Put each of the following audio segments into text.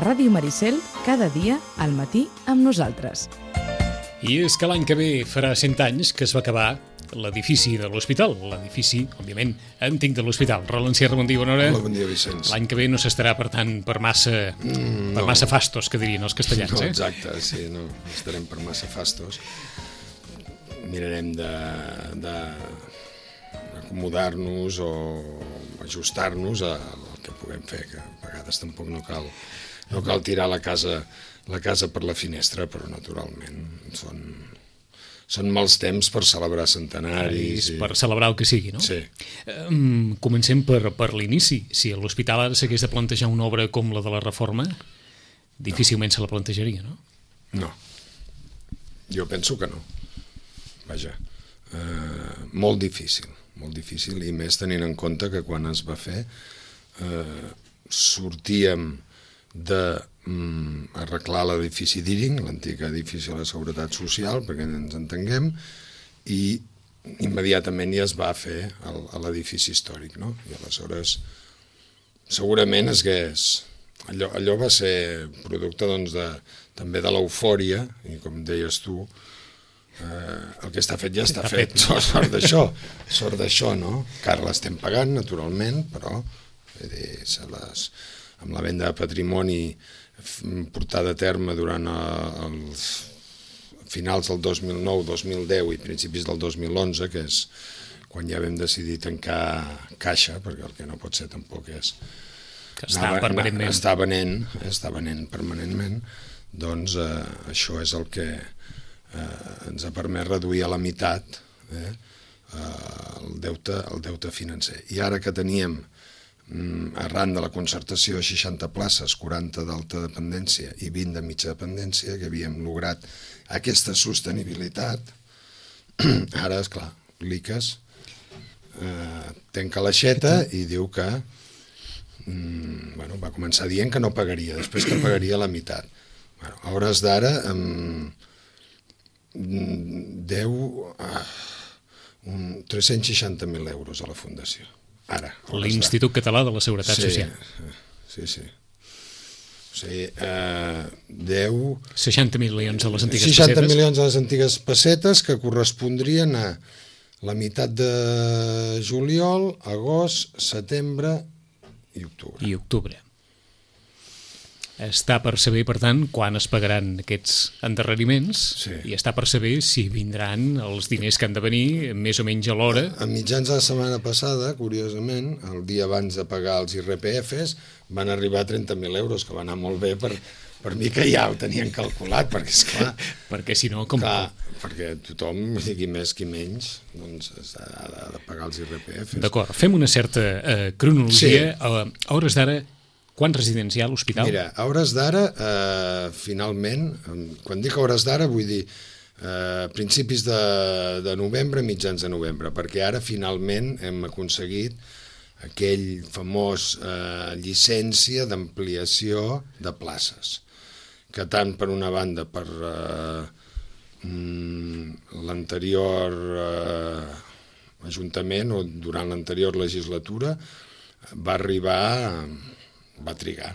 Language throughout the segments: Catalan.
Ràdio Maricel, cada dia al matí amb nosaltres. I és que l'any que ve farà 100 anys que es va acabar l'edifici de l'hospital, l'edifici, òbviament, antic de l'hospital. Roland Sierra, bon dia, bona hora. Hola, bon dia, Vicenç. L'any que ve no s'estarà, per tant, per massa fastos, que dirien els castellans, No, exacte, sí, no estarem per massa fastos. Mirarem d'acomodar-nos o ajustar-nos al que puguem fer, que a vegades tampoc no cal tirar la casa per la finestra, però naturalment són mals temps per celebrar centenaris. Per celebrar el que sigui, no? Sí. Comencem per l'inici. Si l'hospital ara s'hagués de plantejar una obra com la de la Reforma, difícilment se la plantejaria, no? No. Jo penso que no. Vaja, molt difícil, i més tenint en compte que quan es va fer sortíem d'arreglar l'edifici d'Iring, l'antic edifici de la Seguretat Social, perquè ens entenguem, i immediatament ja es va fer l'edifici històric, no? I aleshores segurament allò va ser producte també de l'eufòria, i com deies tu, el que està fet ja està fet. Sort d'això, no? Que ara l'estem pagant, naturalment, però amb la venda de patrimoni portada a terme durant els finals del 2009, 2010 i principis del 2011, que és quan ja vam decidir tancar caixa, perquè el que no pot ser tampoc és estar venent permanentment, doncs això és el que ens ha permès reduir a la meitat el deute financer. I ara que teníem, arran de la concertació, 60 places, 40 d'alta dependència i 20 de mitja dependència, que havíem lograt aquesta sostenibilitat, ara, esclar, l'ICAS tanca l'aixeta i diu que va començar dient que no pagaria, després que pagaria la meitat. A hores d'ara deu 360.000 euros a la Fundació. Ara. L'Institut Català de la Seguretat Social. Sí. O sigui, deu 60 milions a les antigues pessetes. 60 milions a les antigues pessetes, que correspondrien a la meitat de juliol, agost, setembre i octubre. Està per saber, per tant, quan es pagaran aquests endarreriments, i està per saber si vindran els diners que han de venir més o menys a l'hora. A mitjans de la setmana passada, curiosament, el dia abans de pagar els IRPFs, van arribar a 30.000 euros, que va anar molt bé per mi, que ja ho tenien calculat, perquè esclar... Perquè si no, com... Clar, perquè tothom, qui més qui menys, doncs ha de pagar els IRPFs. D'acord, fem una certa cronologia. A hores d'ara, quant residencial, hospital? Mira, a hores d'ara, finalment, quan dic a hores d'ara vull dir principis de novembre, mitjans de novembre, perquè ara finalment hem aconseguit aquell famós llicència d'ampliació de places, que tant per una banda per l'anterior Ajuntament o durant l'anterior legislatura va trigar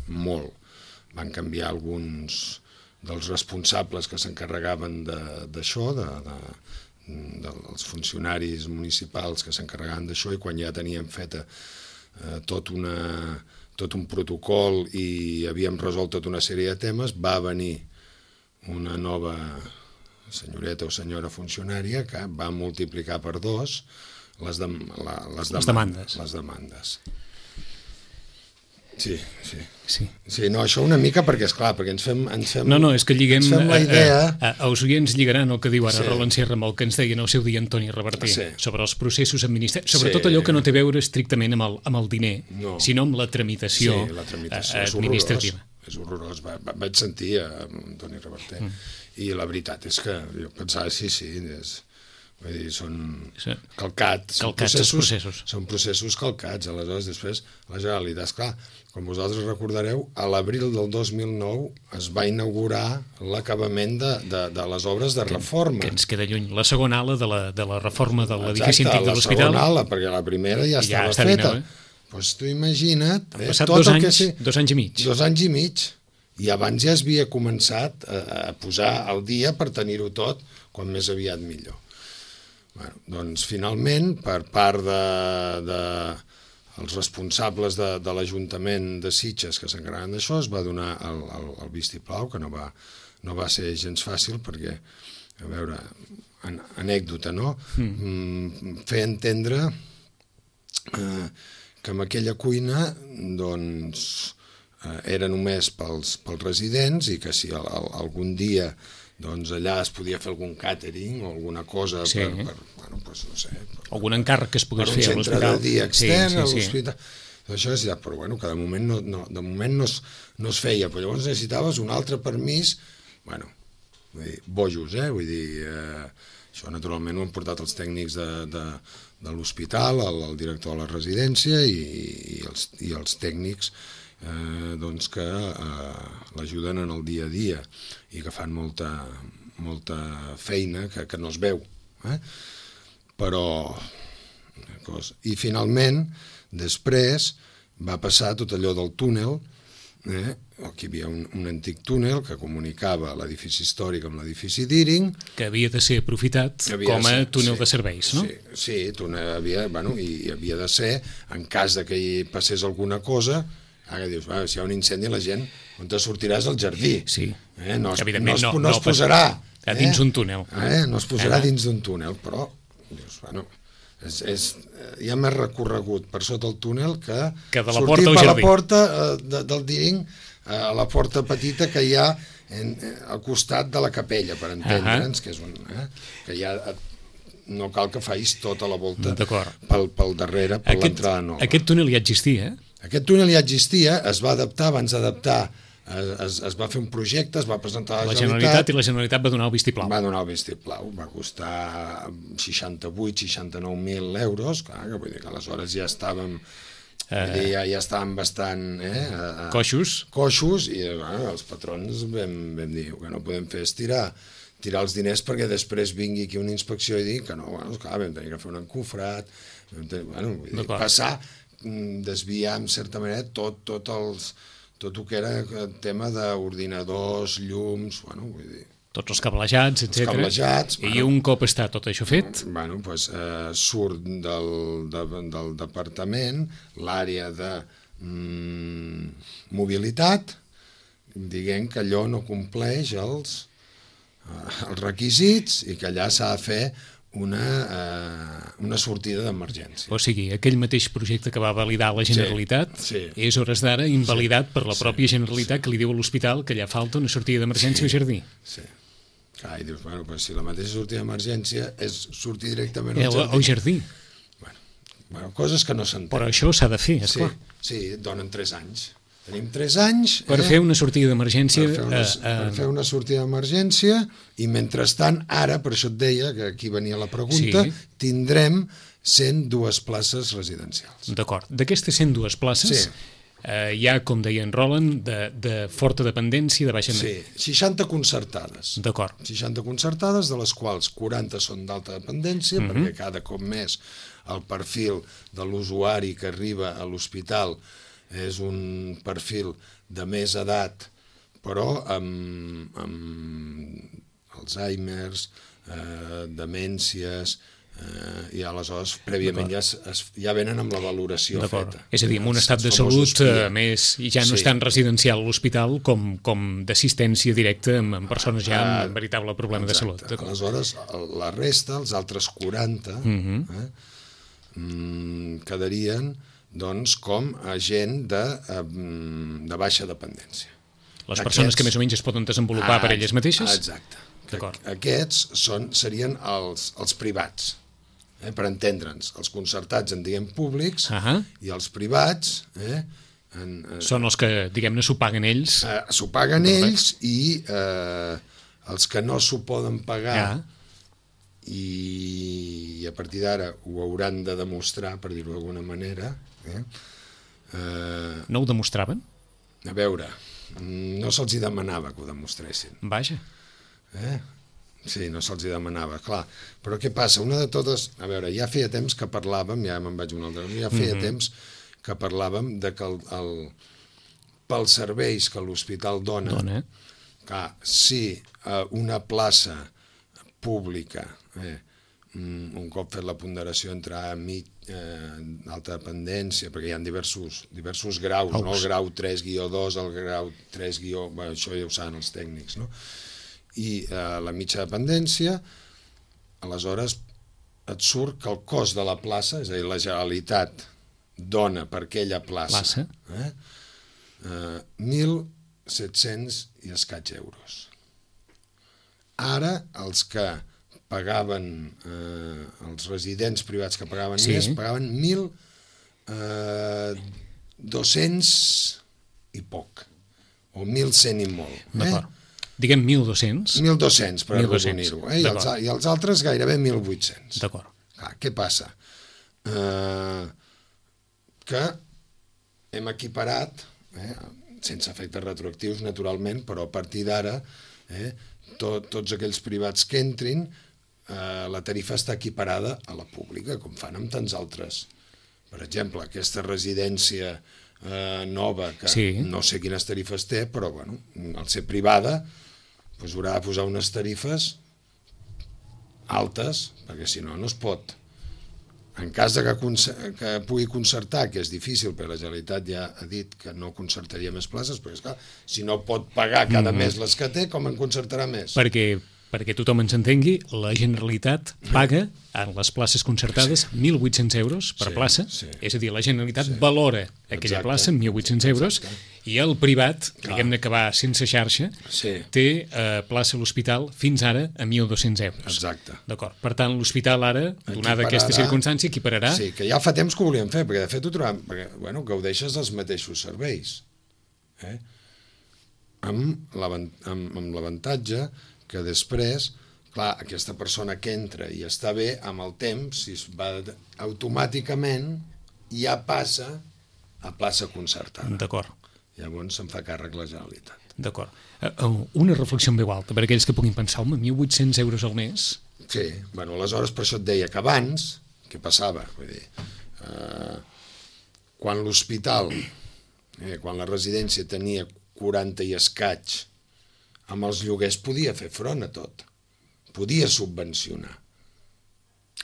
molt. Van canviar alguns dels responsables que s'encarregaven d'això, dels funcionaris municipals que s'encarregaven d'això, i quan ja teníem feta tot un protocol i havíem resolt tota una sèrie de temes, va venir una nova senyoreta o senyora funcionària que va multiplicar per 2 les demandes. Sí, no, això una mica perquè, esclar, perquè ens fem és que lliguem la idea... Els oients lligaran el que diu ara Roland Sierra amb el que ens deia en el seu dia Antoni Reverter sobre els processos administratius, sobretot allò que no té a veure estrictament amb el diner, sinó amb la tramitació administrativa. És horrorós. Vaig sentir a Antoni Reverter i la veritat és que jo pensava, vull dir, són calcats, són processos calcats. Aleshores, després, la Generalitat, esclar, com vosaltres recordareu, a l'abril del 2009 es va inaugurar l'acabament de les obres de reforma. Que ens queda lluny. La segona ala de la reforma de l'edifici antic de l'hospital. La segona ala, perquè la primera ja estava feta. Doncs tu imagina't... Han passat 2 anys, 2 anys i mig. 2 anys i mig. I abans ja es havia començat a posar al dia per tenir-ho tot quan més aviat millor. Bueno, doncs finalment, per part dels responsables de l'Ajuntament de Sitges que s'encarreguen d'això, es va donar el vistiplau, que no va ser gens fàcil perquè, a veure, anècdota, no? Fer entendre que en aquella cuina doncs era només pels residents i que si algun dia doncs allà es podia fer algun càtering o alguna cosa per bueno, doncs no sé... Algun encàrrec que es pogués fer a l'hospital. Per un centre de dia extern a l'hospital. Això és ja, però bueno, que de moment no es feia, però llavors necessitaves un altre permís, bueno, vull dir, bojos, vull dir, això naturalment ho han portat els tècnics de l'hospital, el director de la residència i els tècnics doncs que l'ajuden en el dia a dia i que fan molta feina que no es veu. Però... I finalment, després, va passar tot allò del túnel, aquí hi havia un antic túnel que comunicava l'edifici històric amb l'edifici d'Íring. Que havia de ser aprofitat com a túnel de serveis, no? Sí, i havia de ser, en cas que hi passés alguna cosa, ara dius, si hi ha un incendi la gent, on te sortiràs al jardí. Sí, evidentment no es posarà dins un túnel. No es posarà dins d'un túnel, però dius, bueno... hi ha més recorregut per sota el túnel que de la sortir porta al per jardí. la porta del Díring a la porta petita que hi ha al costat de la capella, per entendre'ns, que és que ja no cal que facis tota la volta pel darrere, per l'entrada nova. Aquest túnel ja existia, Aquest túnel ja existia, es va adaptar, abans d'adaptar es va fer un projecte, es va presentar a la Generalitat i la Generalitat va donar el vistiplau. Va donar el vistiplau, va costar 68-69.000 euros, clar, que vull dir que aleshores ja estàvem ja estàvem bastant coixos i els patrons vam dir que no podem fer és tirar els diners perquè després vingui aquí una inspecció i dir que no, clar, vam tenir que fer un encofrat, passar, desviar en certa manera tot el que era el tema d'ordinadors, llums, vull dir... Tots els cablejats, etc. I un cop està tot això fet... Surt del departament l'àrea de mobilitat, dient que allò no compleix els requisits i que allà s'ha de fer una sortida d'emergència. O sigui, aquell mateix projecte que va validar la Generalitat és hores d'ara invalidat per la pròpia Generalitat que li diu a l'hospital que allà falta una sortida d'emergència al jardí. Sí. Clar, i dius, però si la mateixa sortida d'emergència és sortir directament al jardí. Bueno, coses que no s'entenen. Però això s'ha de fer, esclar. Sí, donen 3 anys. Tenim 3 anys... Per fer una sortida d'emergència... Per fer una sortida d'emergència i mentrestant, ara, per això et deia, que aquí venia la pregunta, tindrem 102 places residencials. D'acord. D'aquestes 102 places hi ha, com deia en Roland, de forta dependència, de baixa... Sí, 60 concertades. D'acord. 60 concertades, de les quals 40 són d'alta dependència, perquè cada cop més el perfil de l'usuari que arriba a l'hospital és un perfil de més edat, però amb Alzheimer's, demències, i aleshores prèviament ja venen amb la valoració feta. És a dir, amb un estat de salut més, i ja no és tan residencial a l'hospital com d'assistència directa amb persones ja amb veritable problema de salut. Aleshores, la resta, els altres 40, quedarien doncs com a gent de baixa dependència. Les persones que més o menys es poden desenvolupar per elles mateixes? Exacte. Aquests serien els privats, per entendre'ns. Els concertats en diem públics i els privats... Són els que, diguem-ne, s'ho paguen ells? S'ho paguen ells i els que no s'ho poden pagar i a partir d'ara ho hauran de demostrar, per dir-ho d'alguna manera. No ho demostraven? A veure, no se'ls demanava que ho demostressin. Vaja. Sí, no se'ls demanava, clar. Però què passa? Una de totes... A veure, ja feia temps que parlàvem, ja me'n vaig una altra... Ja feia temps que parlàvem de que pels serveis que l'hospital dona. Clar, si una plaça pública, un cop fet la ponderació entre alta dependència, perquè hi ha diversos graus, no? El grau 3-2, el grau 3-... això ja ho saben els tècnics, no? I la mitja dependència, aleshores et surt que el cost de la plaça, és a dir, la Generalitat dona per aquella plaça 1.700 i escaig euros. Ara, els que pagaven, els residents privats que pagaven més, pagaven 1.200 i poc, o 1.100 i molt. D'acord. Diguem 1.200. 1.200, per arrodonir-ho. I els altres gairebé 1.800. D'acord. Què passa? Que hem equiparat, sense efectes retroactius, naturalment, però a partir d'ara, tots aquells privats que entrin, la tarifa està equiparada a la pública, com fan amb tants altres. Per exemple, aquesta residència nova, que no sé quines tarifes té, però al ser privada haurà de posar unes tarifes altes, perquè si no, no es pot. En cas que pugui concertar, que és difícil, perquè la Generalitat ja ha dit que no concertaria més places, perquè esclar, si no pot pagar cada mes les que té, com en concertarà més? Perquè tothom ens entengui, la Generalitat paga en les places concertades 1.800 euros per plaça, és a dir, la Generalitat valora aquella plaça en 1.800 euros i el privat, diguem-ne que va sense xarxa, té plaça a l'hospital fins ara a 1.200 euros. Exacte. D'acord. Per tant, l'hospital ara, donada aquesta circumstància, equipararà... Sí, que ja fa temps que ho volíem fer, perquè de fet ho trobem, perquè gaudeixes dels mateixos serveis. Amb l'avantatge que després, clar, aquesta persona que entra i està bé, amb el temps, si es va automàticament, ja passa a plaça concertada. D'acord. Llavors se'n fa càrrec la Generalitat. D'acord. Una reflexió en veu alta, per aquells que puguin pensar, 1.800 euros al mes? Sí, aleshores per això et deia que abans, què passava? Vull dir, quan l'hospital, quan la residència tenia 40 i escaig, amb els lloguers podia fer front a tot, podia subvencionar.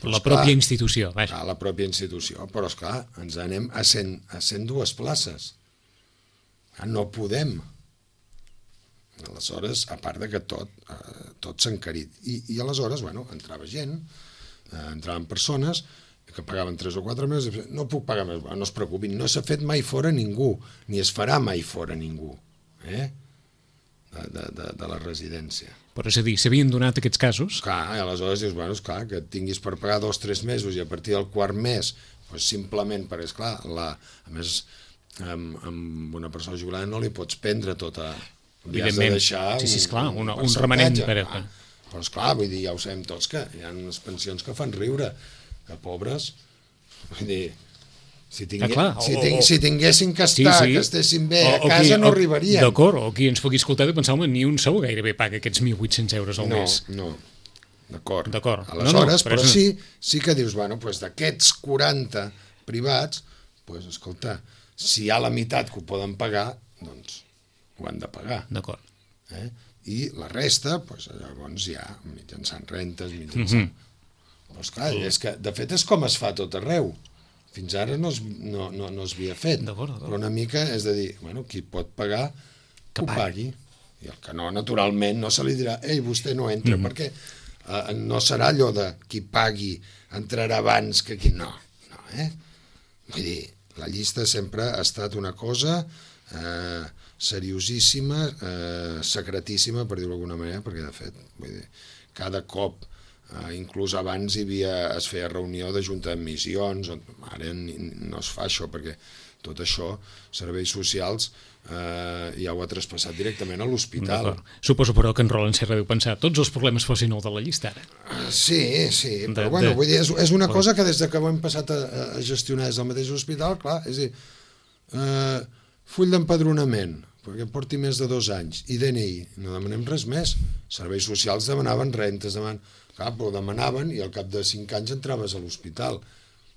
La pròpia institució, vaja. La pròpia institució, però esclar, ens anem a 102 places. No podem. Aleshores, a part de que tot s'ha encarit. I aleshores, entrava gent, entraven persones que pagaven 3 o 4 mesos, no puc pagar més, no es preocupin, no s'ha fet mai fora ningú, ni es farà mai fora ningú. De la residència. Però és a dir, s'havien donat aquests casos? Clar, i aleshores dius, clar, que tinguis per pagar 2 o 3 mesos i a partir del quart mes, simplement perquè, esclar, a més, amb una persona jubilada no li pots prendre tota... Li has de deixar un remanent. Però, esclar, vull dir, ja ho sabem tots, que hi ha unes pensions que fan riure, que pobres, vull dir... Si tinguessin que estar, que estessin bé a casa, no arribarien. D'acord, o qui ens pugui escoltar de pensar, ni un sou gairebé paga aquests 1.800 euros al mes. No, d'acord. Aleshores, però sí que dius, d'aquests 40 privats, escolta, si hi ha la meitat que ho poden pagar, doncs ho han de pagar. D'acord. I la resta, llavors ja, mitjançant rentes, mitjançant... Però esclar, és que, de fet, és com es fa tot arreu. Fins ara no es havia fet, però una mica és de dir, qui pot pagar, que ho pagui. I el que no, naturalment, no se li dirà, vostè no entra, perquè no serà allò de qui pagui entrarà abans que qui no. Vull dir, la llista sempre ha estat una cosa seriosíssima, secretíssima, per dir-ho d'alguna manera, perquè, de fet, vull dir, cada cop inclús abans es feia reunió de junta d'admissions, ara no es fa això perquè tot això, serveis socials, ja ho ha traspassat directament a l'hospital. Suposo, però, que en Roland Serra deu pensar tots els problemes fossin el de la llista ara. Sí, però bueno, vull dir, és una cosa que des que ho hem passat a gestionar des del mateix hospital, clar, és a dir, full d'empadronament, perquè porti més de 2 anys, i DNI, no demanem res més. Serveis socials demanaven rentes, clar, però demanaven i al cap de 5 anys entraves a l'hospital.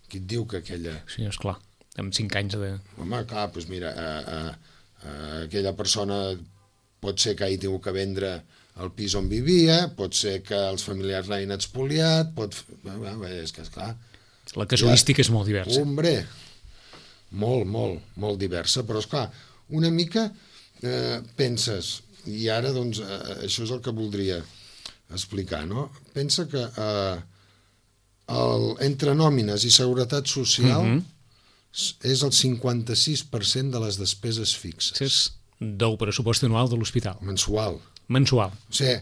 Qui et diu que aquella... Sí, esclar. amb 5 anys de... Home, clar, doncs mira, aquella persona pot ser que hagi tingut que vendre el pis on vivia, pot ser que els familiars l'hagin expoliat, és que, esclar... La casuística és molt diversa. Hombre, molt diversa, però, esclar, una mica penses, i ara, doncs, això és el que voldria explicar, no? Pensa que entre nòmines i seguretat social és el 56% de les despeses fixes. És del pressupost anual de l'hospital. Mensual. O sigui,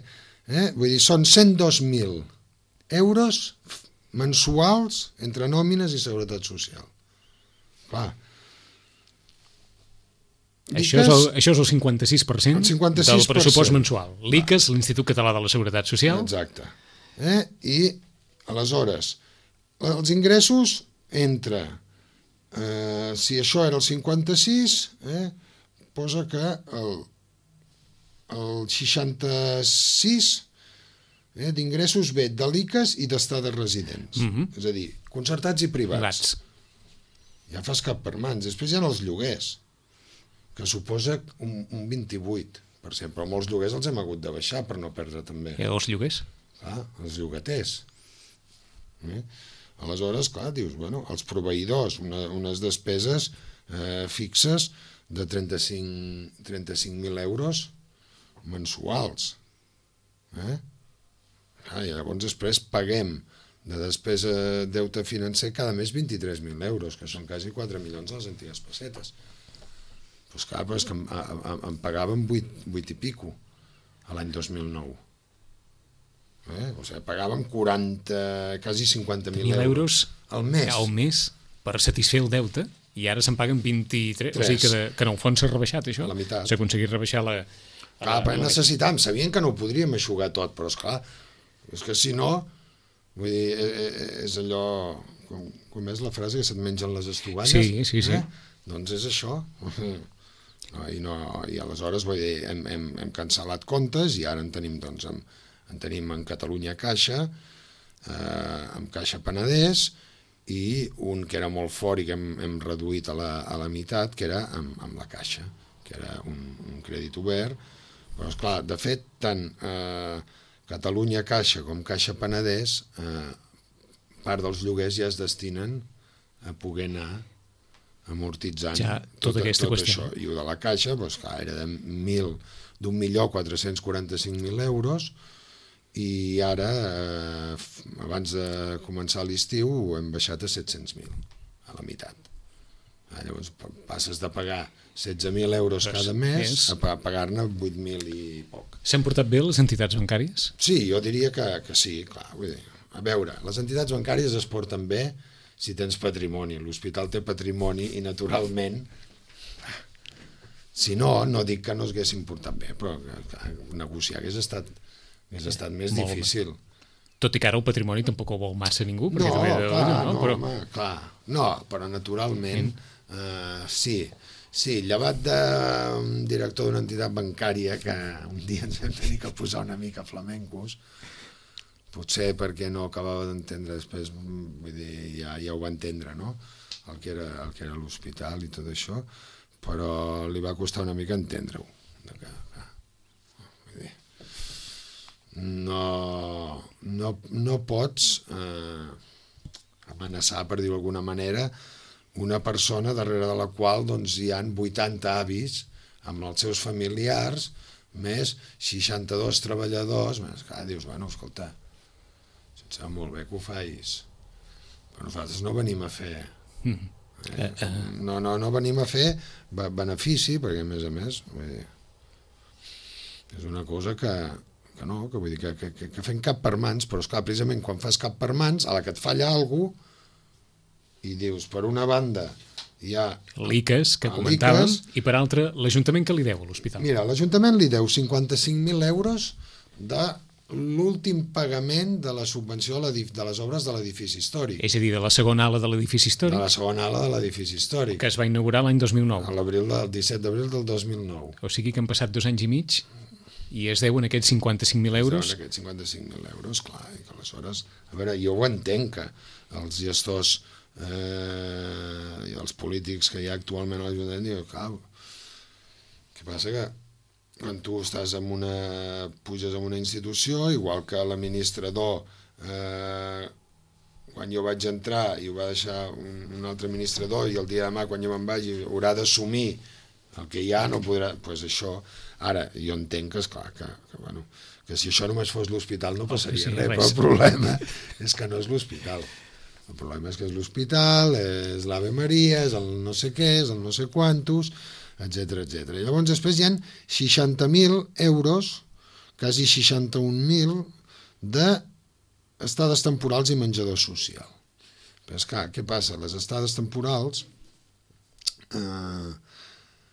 vull dir, són 102.000 euros mensuals entre nòmines i seguretat social. Clar. Això és el 56%, del pressupost mensual. L'ICAS, l'Institut Català de la Seguretat Social. Exacte. I, aleshores, els ingressos entre, si això era el 56, posa que el 66 d'ingressos ve de l'ICAS i d'estades residents. És a dir, concertats i privats. Ja fas cap per mans. Després hi ha els lloguers, que suposa un 28%, però molts lloguers els hem hagut de baixar per no perdre també. I els lloguers? Clar, els llogaters. Aleshores, clar, dius, bueno, els proveïdors, unes despeses fixes de 35.000 euros mensuals. I llavors després paguem de despesa deute financer cada mes 23.000 euros, que són quasi 4 milions a les antigues pessetes. Doncs clar, però és que em pagaven 8 i pico l'any 2009. O sigui, pagàvem 40, quasi 50.000 euros al mes per satisfer el deute, i ara se'n paguen 23, o sigui que en el fons s'ha rebaixat això. La meitat. S'ha aconseguit rebaixar la... Clar, però necessitàvem, sabien que no ho podríem eixugar tot, però esclar, és que si no, vull dir, és allò, com és la frase, que se't mengen les estovalles? Sí. Doncs és això. I aleshores, vull dir, hem cancel·lat comptes i ara en tenim, doncs, en tenim en Catalunya Caixa, amb Caixa Penedès, i un que era molt fort i que hem reduït a la meitat, que era amb la Caixa, que era un crèdit obert. Però, esclar, de fet, tant Catalunya Caixa com Caixa Penedès, part dels lloguers ja es destinen a poder anar amortitzant ja, tot això. I el de la Caixa, doncs, clar, era d'1.445.000 euros, i ara, abans de començar l'estiu, ho hem baixat a 700.000, a la meitat. Llavors passes de pagar 16.000 euros cada mes a pagar-ne 8.000 i poc. S'han portat bé les entitats bancàries? Sí, jo diria que sí, clar. Vull dir, a veure, les entitats bancàries es porten bé si tens patrimoni. L'hospital té patrimoni i, naturalment, si no, no dic que no es haguessin portat bé, però negociar hagués estat més difícil. Tot i que ara el patrimoni tampoc ho vol massa ningú. Però naturalment, sí, llevat d'un director d'una entitat bancària que un dia ens vam tenir que posar una mica flamencos, potser perquè no acabava d'entendre, després vull dir, ja ho va entendre, no? El que era l'hospital i tot això, però li va costar una mica entendre-ho. No pots amenaçar, per dir-ho d'alguna manera, una persona darrere de la qual doncs, hi han 80 avis amb els seus familiars, més 62 treballadors. Clar, dius, bueno, escolta, em sembla molt bé que ho facis, però nosaltres no venim a fer... No venim a fer benefici, perquè a més, vull dir, és una cosa que vull dir, que fem cap per mans, però esclar, precisament quan fas cap per mans, a la que et falla alguna cosa, i dius, per una banda hi ha... L'ICAS, que comentàvem, i per altra, l'Ajuntament que li deu a l'hospital. Mira, l'Ajuntament li deu 55.000 euros de l'últim pagament de la subvenció de les obres de l'edifici històric. És a dir, de la segona ala de l'edifici històric. De la segona ala de l'edifici històric. Que es va inaugurar l'any 2009. El 17 d'abril del 2009. O sigui que han passat 2 anys i mig i es deuen aquests 55.000 euros. Es deuen aquests 55.000 euros, clar, i que aleshores... A veure, jo ho entenc, que els gestors i els polítics que hi ha actualment a l'Ajuntament diuen, clar, què passa que quan tu estàs puges en una institució, igual que l'administrador, quan jo vaig entrar i ho va deixar un altre administrador i el dia de demà quan jo me'n vagi haurà d'assumir el que hi ha, no podrà... Doncs això, ara, jo entenc que, esclar, que si això només fos l'hospital no passaria res, però el problema és que no és l'hospital. El problema és que és l'hospital, és l'Ave Maria, és el no sé què, és el no sé quantos, etc. Llavors després hi ha 60.000 euros, quasi 61.000, d'estades temporals i menjador social. Però és clar, què passa? Les estades temporals,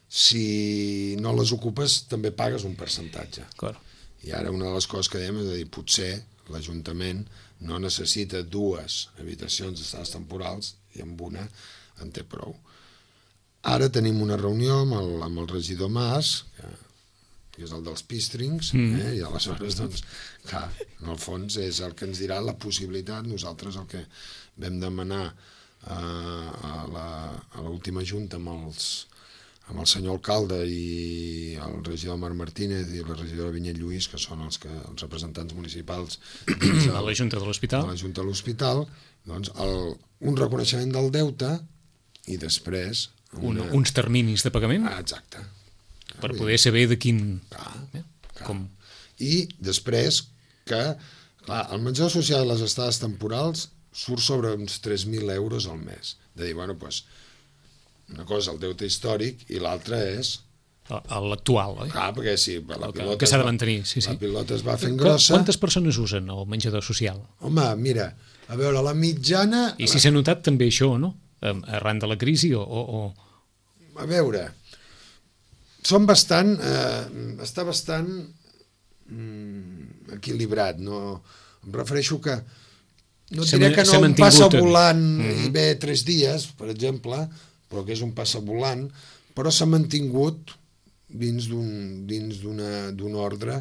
si no les ocupes, també pagues un percentatge. Clar. I ara una de les coses que dèiem és dir, potser l'Ajuntament no necessita 2 habitacions d'estades temporals i amb una en té prou. Ara tenim una reunió amb el regidor Mas, que és el dels pístrings, i aleshores, doncs, clar, en el fons és el que ens dirà la possibilitat. Nosaltres el que vam demanar a l'última junta amb el senyor alcalde i el regidor Marc Martínez i la regidora Vinyet Lluís, que són els representants municipals a la Junta de l'Hospital, doncs un reconeixement del deute i després uns terminis de pagament exacte, per poder saber de quin... Com. I després que el menjador social i les estades temporals surt sobre uns 3.000 euros al mes. De dir, bueno, doncs una cosa el deute històric i l'altra és l'actual, oi? Clar, perquè sí, la pilota que s'ha de mantenir, sí. La pilota es va fent grossa. Quantes persones usen el menjador social? Home, mira, a veure, la mitjana... I si s'ha notat també això, no? Arran de la crisi o... A veure, són bastant... està bastant equilibrat, no? Em refereixo que... No diré que no un passa volant i ve 3 dies, per exemple, però que és un passa volant, però s'ha mantingut dins d'un ordre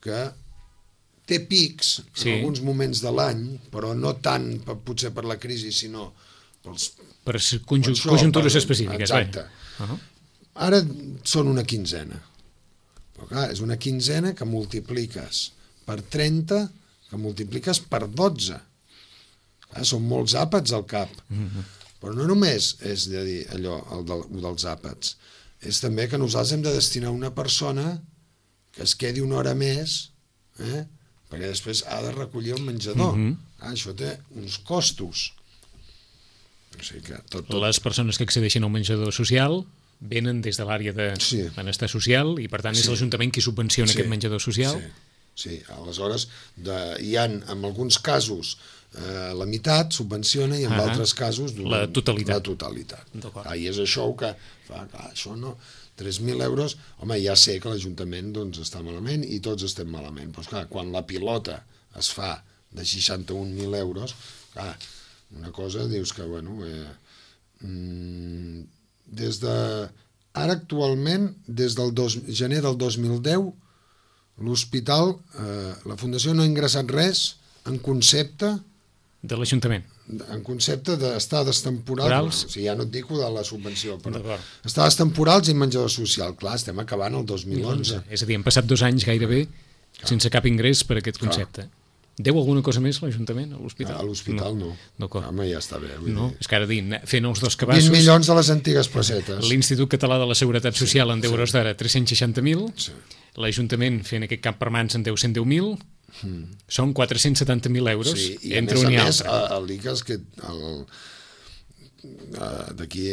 que té pics en alguns moments de l'any, però no tant potser per la crisi, sinó per conjuntures específiques. Exacte. Ara són una quinzena. Però clar, és una quinzena que multipliques per 30, que multipliques per 12. Clar, són molts àpats al cap. Però no només és de dir allò, el dels àpats, és també que nosaltres hem de destinar una persona que es quedi una hora més, perquè després ha de recollir el menjador. Això té uns costos. O sigui que les persones que accedeixen al menjador social venen des de l'àrea de benestar social i per tant és l'Ajuntament qui subvenciona aquest menjador social. Sí, aleshores hi ha en alguns casos la meitat subvenciona i en altres casos la totalitat. I és això que fa, això no, 3.000 euros, home, ja sé que l'Ajuntament està malament i tots estem malament, però clar, quan la pilota es fa de 61.000 euros, clar, una cosa dius que, bueno, ara actualment, des del gener del 2010, l'hospital, la Fundació no ha ingressat res en concepte de l'Ajuntament. En concepte d'estades temporals, o sigui, ja no et dic de la subvenció, però estades temporals i menjador social. Clar, estem acabant el 2011. És a dir, han passat 2 anys gairebé sense cap ingrés per aquest concepte. Deu alguna cosa més l'Ajuntament a l'hospital? A l'hospital no. Home, ja està bé. No, és que ara fent els 2 cabassos... 20 milions de les antigues pessetes. L'Institut Català de la Seguretat Social en 10 euros d'ara 360.000, l'Ajuntament fent aquest camp per mans en deu 110.000, són 470.000 euros entre un i altre. El l'ICAS que d'aquí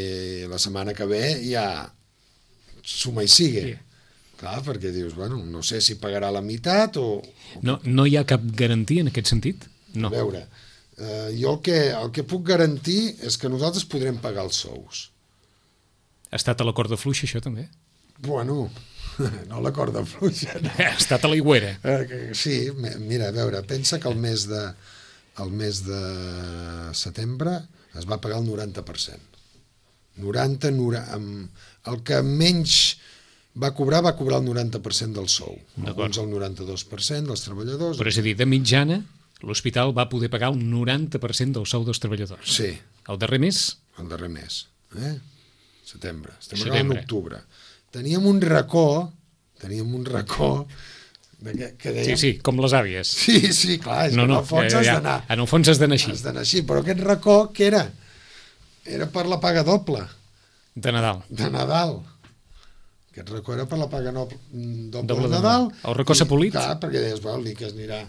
la setmana que ve ja suma i sigue. Clar, perquè dius, bueno, no sé si pagarà la meitat o... No hi ha cap garantia en aquest sentit? No. A veure, jo el que puc garantir és que nosaltres podrem pagar els sous. Ha estat a la corda fluixa, això, també? Bueno, no a la corda fluixa. No. Ha estat a l'aigüera. Sí, mira, a veure, pensa que el mes de setembre es va pagar el 90%. El que menys va cobrar el 90% del sou. Alguns el 92% dels treballadors. Però és a dir, de mitjana, l'hospital va poder pagar un 90% del sou dels treballadors. Sí, El darrer mes? El darrer mes, setembre. Estem acabant l'octubre. Teníem un racó que dèiem... Sí, com les àvies. Sí, clar, és que en el fons has d'anar. En el fons has d'anar així. Has d'anar així, però aquest racó, què era? Era per la paga doble. De Nadal. De Nadal. Aquest racó era per la paga doble de Nadal. El racó s'ha polit? Clar, perquè deies, l'ICA es anirà...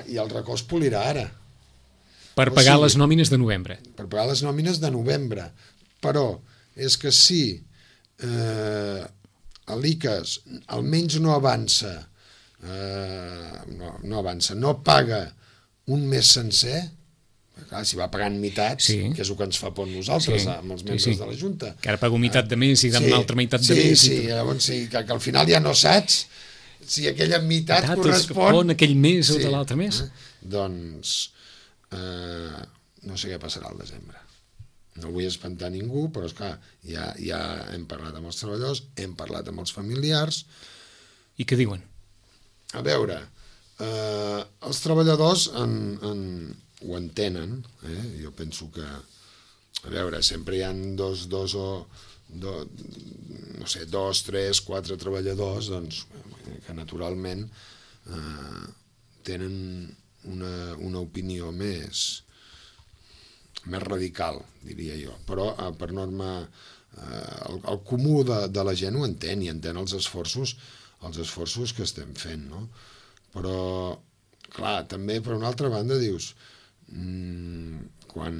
I el racó es polirà ara. Per pagar les nòmines de novembre. Per pagar les nòmines de novembre. Però és que si l'ICAS almenys no avança, no paga un mes sencer, clar, si va pagant meitats, que és el que ens fa por nosaltres, amb els membres de la Junta. Que ara pago meitat de mes i una altra meitat de mes. Llavors que al final ja no saps si aquella meitat correspon a aquell mes o de l'altre mes. Doncs no sé què passarà al desembre. No vull espantar ningú, però esclar, ja hem parlat amb els treballadors, hem parlat amb els familiars. I què diuen? A veure, els treballadors ho entenen, jo penso que, a veure, sempre hi ha dos, 3, 4 treballadors, doncs, que naturalment tenen una opinió més radical, diria jo, però per norma el comú de la gent ho entén i entén els esforços que estem fent, no? Però clar, també per una altra banda dius, quan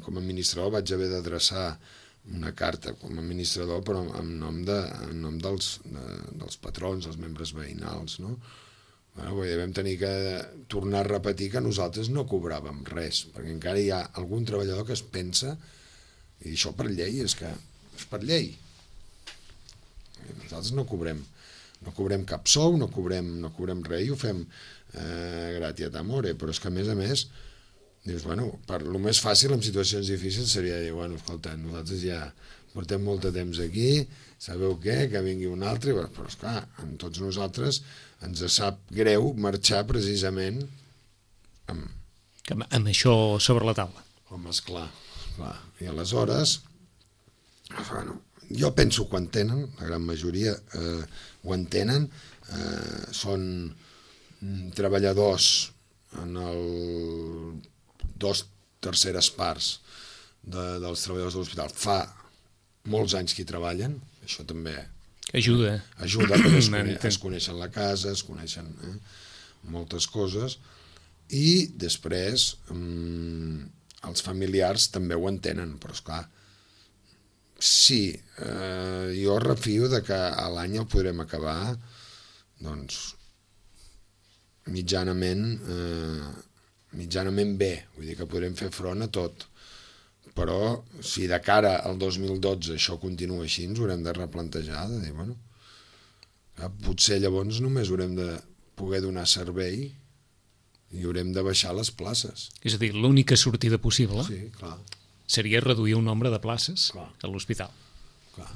com a administrador vaig haver d'adreçar una carta com a administrador però en nom dels patrons, dels membres veïnals, no? Vam tenir que tornar a repetir que nosaltres no cobràvem res, perquè encara hi ha algun treballador que es pensa, i això per llei, és per llei. Nosaltres no cobrem cap sou, no cobrem res, i ho fem gratiat amore, però és que a més, dius, per lo més fàcil en situacions difícils seria dir, escolta, nosaltres ja portem molt de temps aquí, sabeu què, que vingui un altre, però esclar, amb tots nosaltres ens sap greu marxar precisament amb això sobre la taula. Home, esclar. I aleshores, jo penso que ho entenen, la gran majoria ho entenen, són treballadors en el 2/3 parts dels treballadors de l'hospital fa molts anys que hi treballen, això també ajuda perquè es coneixen la casa, es coneixen moltes coses, i després els familiars també ho entenen, però esclar, sí, jo refio de que a l'any el podrem acabar doncs mitjanament bé, vull dir que podrem fer front a tot. Però si de cara al 2012 això continua així, ens haurem de replantejar, de dir, potser llavors només haurem de poder donar servei i haurem de baixar les places. És a dir, l'única sortida possible seria reduir el nombre de places a l'hospital. Clar.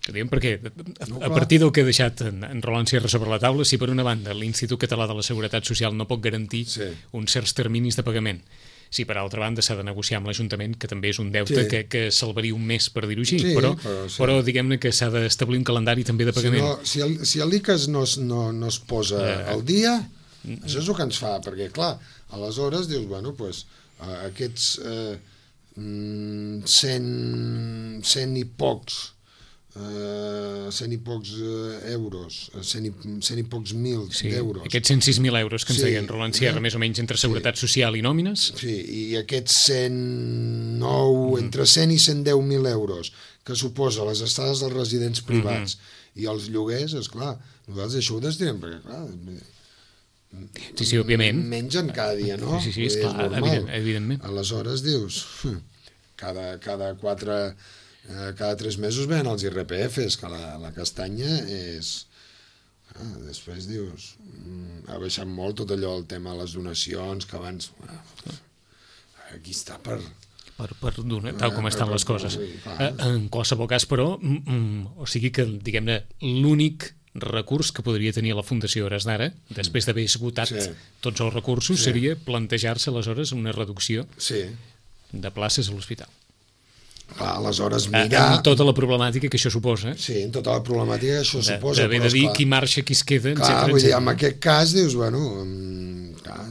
Perquè a partir del que ha deixat en Roland Sierra sobre la taula, si per una banda l'Institut Català de la Seguretat Social no pot garantir uns certs terminis de pagament, si per altra banda s'ha de negociar amb l'Ajuntament, que també és un deute que salvaria un mes, per dir-ho així, però diguem-ne que s'ha d'establir un calendari també de pagament. Si l'ICAS no es posa al dia, això és el que ens fa, perquè clar, aleshores dius, aquests 100 i pocs euros, 100 i pocs mil d'euros. Aquests 106.000 euros que ens deien Roland Sierra, més o menys entre Seguretat Social i nòmines. Sí, i aquests 109, entre 100 i 110.000 euros, que suposa les estades dels residents privats i els lloguers, esclar, nosaltres això ho destinem, perquè clar... Sí, òbviament. Mengen cada dia, no? Sí, esclar, evidentment. Aleshores dius, cada 3 mesos venen els IRPFs, que la castanya és... Després dius, ha baixat molt tot allò, el tema de les donacions, que abans... Aquí està per donar, tal com estan les coses. En qualsevol cas, però, o sigui que, diguem-ne, l'únic recurs que podria tenir la Fundació Hores d'Ara, després d'haver esgotat tots els recursos, seria plantejar-se aleshores una reducció de places a l'hospital. Clar, aleshores mirar... Amb tota la problemàtica que això suposa. Sí, amb tota la problemàtica que això suposa. D'haver de dir qui marxa, qui es queda, clar, vull dir, en aquest cas dius, bueno, clar,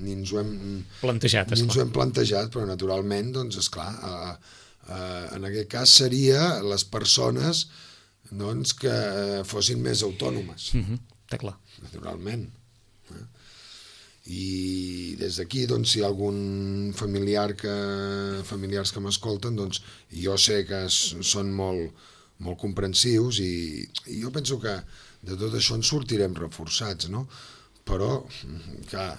ni ens ho hem plantejat, ni ens ho hem plantejat, però naturalment, doncs, esclar, en aquest cas seria les persones doncs, que fossin més autònomes. Està clar. Naturalment. I des d'aquí, doncs, si hi ha algun familiars que m'escolten, doncs jo sé que són molt comprensius i jo penso que de tot això en sortirem reforçats, no? Però, clar,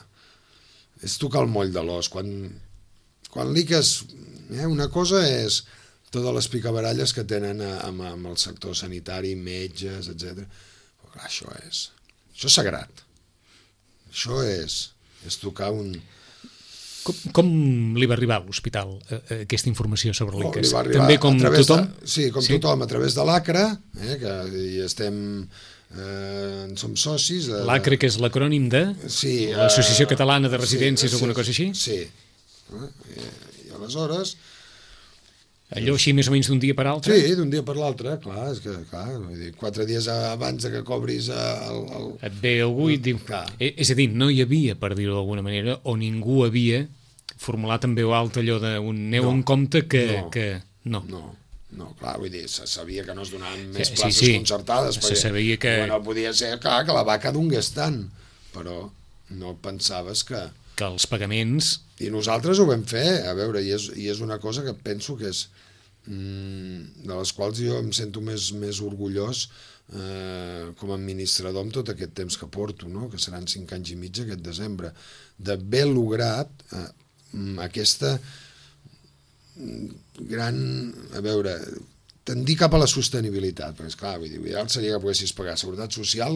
és tocar el moll de l'os. Quan liques... una cosa és totes les picabaralles que tenen amb el sector sanitari, metges, etc. Però clar, això és sagrat. Això és tocar un... Com li va arribar a l'hospital aquesta informació sobre l'ICAS? També com tothom? Sí, com tothom, a través de l'ACRA, que hi som socis. L'ACRA, que és l'acrònim de l'Associació Catalana de Residències o alguna cosa així? Sí. I aleshores... Allò així més o menys d'un dia per l'altre? Sí, d'un dia per l'altre, clar, és que, clar, 4 dies abans que cobris el... Et ve algú i et diu... És a dir, no hi havia, per dir-ho d'alguna manera, o ningú havia formulat en veu alta allò d'un neu en compte que... No, clar, vull dir, se sabia que no es donaven més places concertades, perquè se sabia que... no podia ser, clar, que la vaca donés tant, però no pensaves que els pagaments... I nosaltres ho vam fer, a veure, i és una cosa que penso que és de les quals jo em sento més orgullós com a administrador amb tot aquest temps que porto, no? Que seran 5 anys i mig aquest desembre, d'haver lograt aquesta gran, a veure, tendir cap a la sostenibilitat, perquè esclar, l'ideal seria que poguessis pagar seguretat social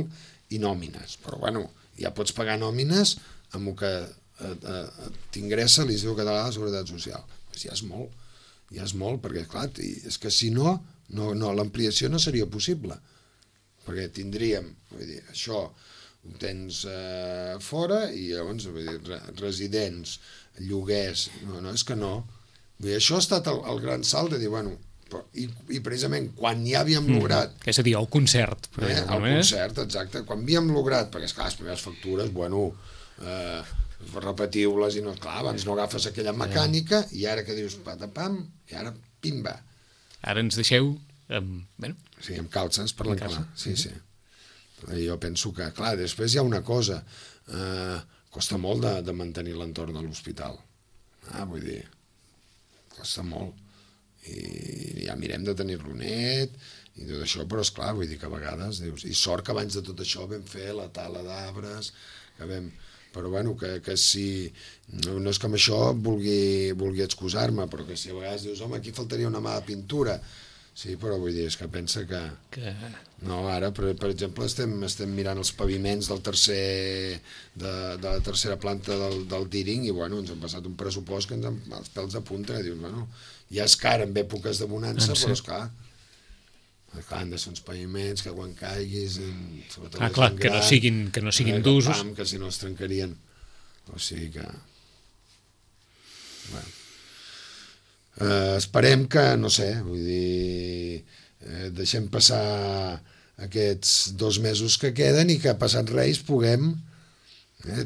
i nòmines, però bueno, ja pots pagar nòmines amb el que t'ingressa l'Institut Català de Seguretat Social. Pues ja és molt, perquè clar, és que si no, l'ampliació no seria possible, perquè tindríem, vull dir, això ho tens fora i llavors, vull dir, residents, lloguers, no, és que no. Vull dir, això ha estat el gran salt de dir, bueno, i precisament quan ja havíem lograt... És a dir, el concert. El concert, exacte. Quan havíem lograt, perquè esclar, les primeres factures, bueno, repetiu-les i no, clar, abans no agafes aquella mecànica i ara que dius patapam, i ara pimba. Ara ens deixeu... Sí, amb calces, parlant clar. Sí. Jo penso que, clar, després hi ha una cosa, costa molt de mantenir l'entorn de l'hospital. Vull dir, costa molt. I ja mirem de tenir-lo net i tot això, però esclar, vull dir que a vegades dius, i sort que abans de tot això vam fer la tala d'arbres, que vam... Però bueno, que si... No és que amb això vulgui excusar-me, però que si a vegades dius, home, aquí faltaria una mà de pintura. Sí, però vull dir, és que pensa que... No, ara, per exemple, estem mirant els paviments de la tercera planta del Díring i, bueno, ens han passat un pressupost que ens els pèls de punta, i dius, bueno, ja és car en èpoques de bonança, però és clar, han de ser uns paviments que quan caiguis... clar, que no siguin d'usos. Que si no es trencarien. O sigui que... Bueno. Esperem que, no sé, vull dir, deixem passar aquests 2 mesos que queden i que passat Reis puguem,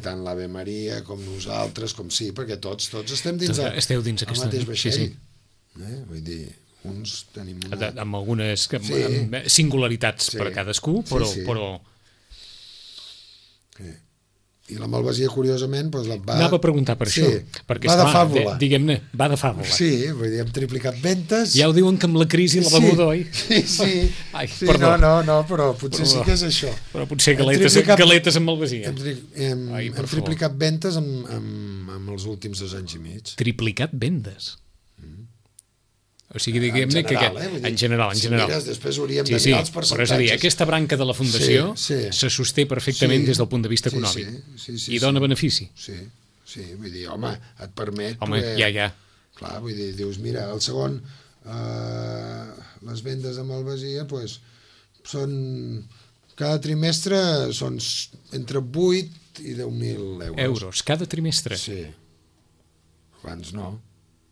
tant l'Ave Maria com nosaltres, com sí, perquè tots estem dins el mateix vaixell. Vull dir, uns tenim una... Amb algunes singularitats per a cadascú, però... I la malvasia, curiosament, va... Anava a preguntar per això, perquè, va de fàbula. Diguem-ne, va de fàbula. Sí, vull dir, hem triplicat ventes... Ja ho diuen que amb la crisi la beguda, oi? Sí. No, però potser sí que és això. Però potser galetes amb malvasia. Hem triplicat ventes amb els últims 2 anys i mig. Triplicat vendes? O sigui, diguem-ne que en general. Si mires, després hauríem de mirar els percentatges. Però és a dir, aquesta branca de la Fundació se sosté perfectament des del punt de vista econòmic. I dona benefici. Sí, vull dir, home, et permet... Home, ja. Clar, vull dir, dius, mira, el segon, les vendes de malvasia, doncs, són... Cada trimestre són entre 8 i 10.000 euros. Cada trimestre? Sí. Abans no.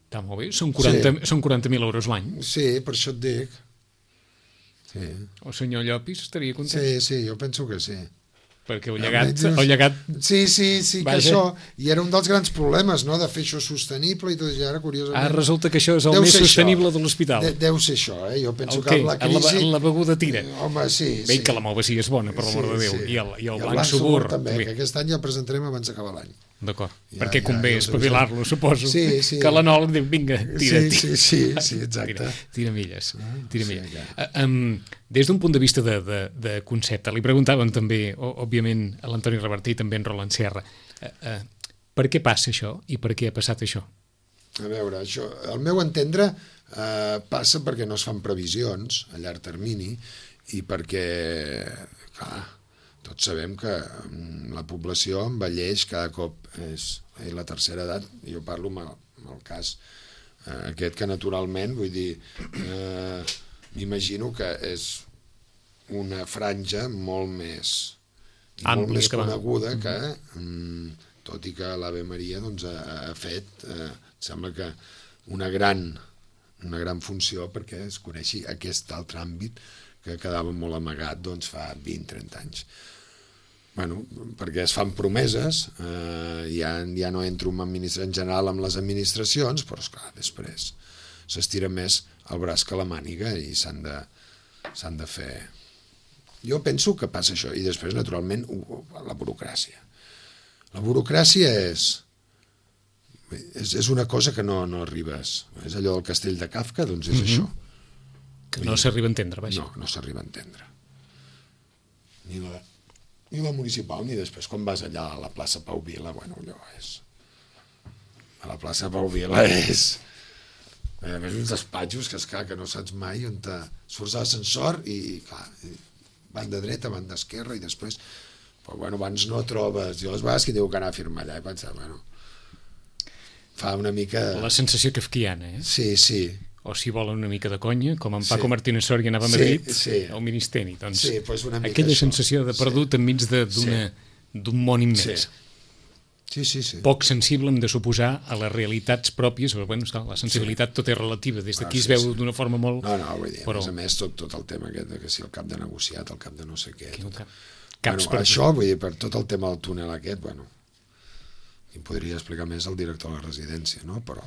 Està molt bé. Són 40.000 euros l'any. Sí, per això et dic. Sí. El senyor Llopis estaria content. Sí, jo penso que sí. Perquè el llegat... Sí, que això... I era un dels grans problemes, no?, de fer això sostenible i tot, i ara, curiosament... resulta que això és el més sostenible de l'hospital. Deu ser això, Jo penso que amb la crisi... La beguda tira. Home, sí. Bé, que la mova sí és bona, per l'amor de Déu. Sí. I el blanc subur. També, que aquest any ja el presentarem abans d'acabar l'any. D'acord, perquè convé espavilar-lo, suposo. Sí. Que l'Anol diu, vinga, tira. Sí, exacte. Tira milles. Des d'un punt de vista de concepte, li preguntaven també, òbviament, a l'Antoni Reverter i també en Roland Serra, per què passa això i per què ha passat això? A veure, això, al meu entendre, passa perquè no es fan previsions a llarg termini i perquè, clar, tots sabem que la població envelleix cada cop, és la tercera edat, jo parlo amb el cas aquest que naturalment, vull dir, m'imagino que és una franja molt més coneguda que, tot i que l'Ave Maria doncs, ha fet, sembla que una gran funció perquè es coneixi aquest altre àmbit que quedava molt amagat doncs, fa 20-30 anys. Bueno, perquè es fan promeses, ja no entro en general amb les administracions, però esclar, després s'estira més el braç que la màniga i s'han de fer... Jo penso que passa això, i després, naturalment, la burocràcia. La burocràcia és una cosa que no arribes. És allò del castell de Kafka, doncs és això. Que no s'arriba a entendre, vaja. No s'arriba a entendre. Ni la municipal, ni després, quan vas allà a la plaça Pau Vila, bueno, allò és... A la plaça Pau Vila és... A més, uns despatxos que no saps mai on surts a l'ascensor i, clar, van de dreta, van d'esquerra i després, però, bueno, abans no trobes... Jo les vegades que diu que anar a firmar allà i pensar, bueno... Fa una mica... La sensació kafkiana, Sí. O si volen una mica de conya, com en Paco Martínez Soria anava a Madrid, al Ministeri. Doncs, pues una mica aquella això. Sensació de perdut enmig d'un món immens. Sí. Poc sensible, hem de suposar, a les realitats pròpies, però bueno, la sensibilitat tot és relativa, des d'aquí es veu d'una forma molt... No, vull dir, a més tot el tema aquest de que si el cap de negociat, el cap de no sé què... Això, vull dir, per tot el tema del túnel aquest, bueno, em podria explicar més el director de la residència, no? Però...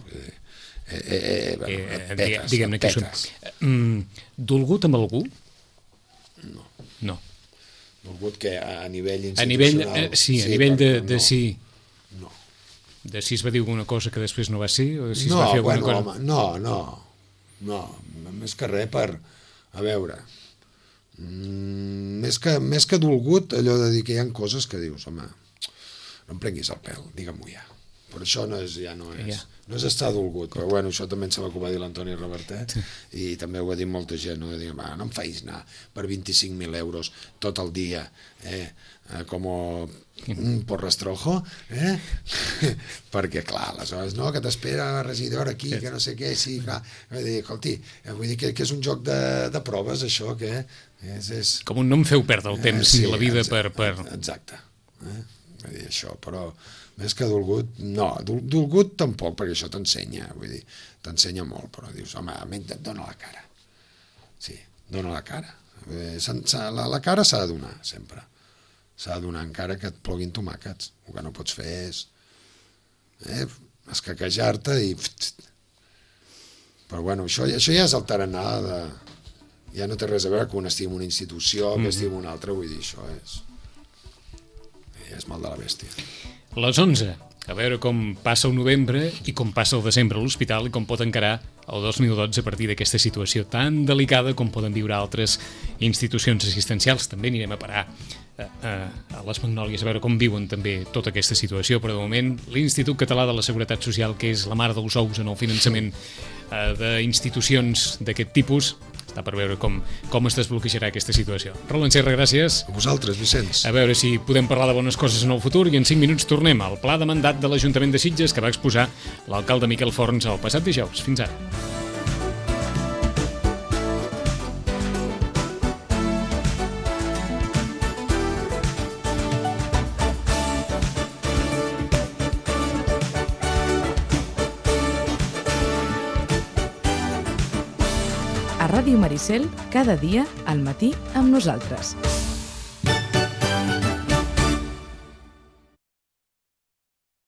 diguem-ne que són... Dolgut amb algú? No. Dolgut que a nivell institucional... A nivell de si... No. De si es va dir alguna cosa que després no va ser? O de si es va fer alguna cosa? No, més que res per... A veure... Més que dolgut, allò de dir que hi ha coses que dius, home, no em prenguis el pèl, digue-m'ho ja. Però això no és estar dolgut, però bueno, això també em sembla que ho va dir l'Antoni Reverter i també ho va dir molta gent, no em facis anar per 25.000 euros tot el dia, com un porrastrojo, perquè clar, aleshores, no, que t'espera la regidora aquí, que no sé què, sí, clar, escolti, vull dir que és un joc de proves, això, que és... Com un no em feu perdre el temps ni la vida per... Exacte, vull dir això, però... Més que dolgut, no, dolgut tampoc, perquè això t'ensenya, vull dir, t'ensenya molt, però dius, home, dona la cara. Sí, dona la cara. La cara s'ha de donar, sempre. S'ha de donar, encara que et ploguin tomàquets. El que no pots fer és escaquejar-te i... Però bueno, això ja és el tarannà de... Ja no té res a veure que un estigui en una institució, que estigui en una altra, vull dir, això és mal de la bèstia. Les 11, a veure com passa el novembre i com passa el desembre a l'hospital i com pot encarar el 2012 a partir d'aquesta situació tan delicada com poden viure altres institucions assistencials. També anirem a parar a les Magnòlies a veure com viuen també tota aquesta situació, però de moment l'Institut Català de la Seguretat Social, que és la mare dels ous en el finançament d'institucions d'aquest tipus, està per veure com es desbloquejarà aquesta situació. Roland Serra, gràcies. A vosaltres, Vicenç. A veure si podem parlar de bones coses en el futur i en 5 minuts tornem al pla de mandat de l'Ajuntament de Sitges que va exposar l'alcalde Miquel Forns el passat dijous. Fins ara. Ràdio Maricel, cada dia al matí amb nosaltres.